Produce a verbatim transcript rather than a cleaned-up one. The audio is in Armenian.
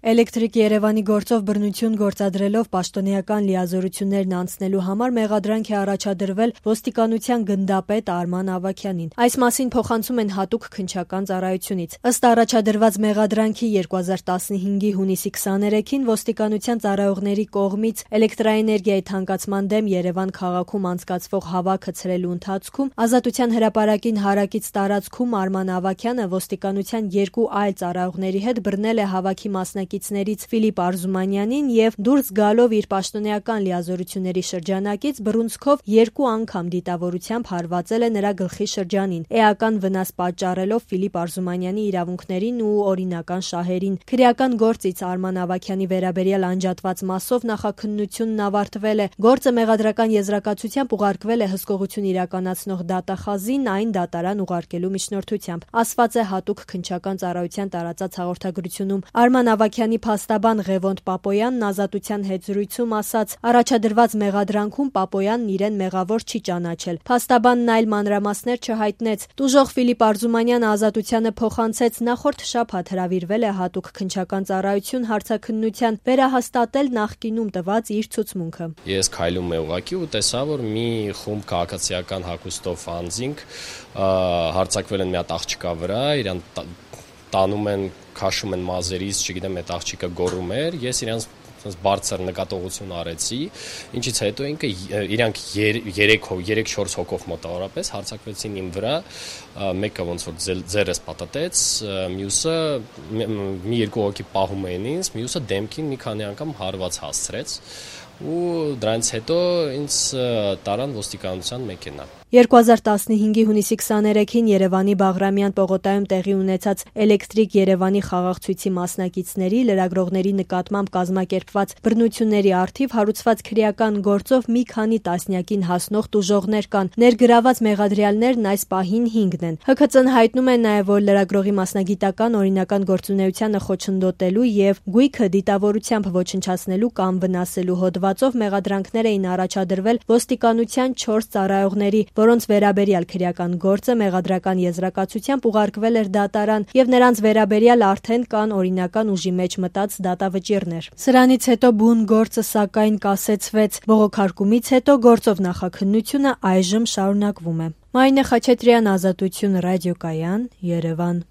Էլեկտրիկ Երևանի գործով բռնություն գործադրելով պաշտոնեական լիազորություններն անցնելու համար մեղադրանք է առաջադրվել ոստիկանության գնդապետ Արման Ավագյանին։ Այս մասին փոխանցում են հատուկ քննչական ծառայությունից։ Ըստ առաջադրված մեղադրանքի երկու հազար տասնհինգի հունիսի քսաներեքին ոստիկանության ծառայողների կողմից էլեկտրաէներգիայի թանկացման դեմ Երևան քաղաքում անցկացվող հավաքը ցրելու ընթացքում Ազատության հրապարակին հարակից տարածքում Արման Ավագյանը ոստիկանության երկու այլ ծառայողների հետ բռնել է հավաքի մասնակիցներից Ֆիլիպ Արզումանյանին եւ դուրս գալով իր պաշտոնեական լիազորությունների շրջանակից բռունցքով երկու անգամ դիտավորությամբ հարվածել է նրա գլխի շրջանին, էական վնաս պատճառելով Ֆիլիպ Արզումանյանի իրավունքներին ու օրինական շահերին։ Քրեական գործից Արման Ավագյանի վերաբերյալ անջատված մասով նախաքննությունն ավարտվել է։ Գործը մեղադրական եզրակացությամբ ուղարկվել է հսկողություն իրականացնող դատախազին այն դատարան ուղարկելու միջնորդությամբ, ասված է հատուկ քննչական ծառայության տարածած հաղորդագրությունում։ Արման Ավագյանի փաստաբան Ղևոնդ Պապոյանն Ազատության հետ զրույցում ասաց. առաջադրված մեղադրանքում Պապոյանն իրեն մեղավոր չի ճանաչել։ Փաստաբանն այլ մանրամասներ չհայտնեց։ Տուժող Ֆիլիպ Արզումանյանը Ազատությանը փոխանցեց նախորդ շաբաթ հրավիրվել է հատուկ քննչական ծառայություն հարցաքննության վերահաստատել նախկինում տված իր ցուցմունքը։ Ես քայլում եմ ուղղակի ու տեսա, որ մի խումբ քաղաքացիական հագուստով անձինք հարձակվել են մի հատ աղջկա վրա, իրան տանում են, քաշում են մազերից, չգիտեմ, այդ աղջիկը գոռում էր, ես իրանց բարձր նկատողություն արեցի, ինչից հետո ինքը իրանք երեք-չորս հոգով մոտավորապես հարձակվեցին իմ վրա, մեկը ոնց որ ձեռս պատտեց, մյուսը մի երկու հոգի պահում էին ինձ, մյուսը դեմքին մի քանի անգամ հարված հասցրեց ու դրանից հետո ինձ տարան ոստիկանության մեքենա։ երկու հազար տասնհինգի հունիսի քսաներեքին Երևանի Բաղրամյան պողոտայում տեղի ունեցած Էլեկտրիկ Երևանի խաղաղցույցի մասնակիցների, լրագրողների նկատմամբ կազմակերպված բռնությունների առթիվ հարուցված քրեական գործով մի քանի տասնյակին հասնող տուժողներ կան։ Ներգրաված մեղադրյալներն այս պահին հինգն են։ Հ Քծը հայտնում է նաև, որ լրագրողի մասնագիտական օրինական գործունեությանը խոչընդոտելու եւ գույքը դիտավորությամբ ոչնչացնելու կամ վնասելու հոդվածով մեղադրանքներ էին առաջադրվել ոստիկանության չորս ծառայողների, որոնց վերաբերյալ քրեական գործը մեղադրական եզրակացությամբ ուղարկվել էր դատարան եւ նրանց վերաբերյալ արդեն կան օրինական ուժի մեջ մտած դատավճիռներ։ Սրանից հետո բուն գործը սակայն կասեցվեց։ Բողոքարկումից հետո գործով նախաքննությունը այժմ շարունակվում է։ Մարինե Խաչատրյան, Ազատություն ռադիոկայան, Երևան։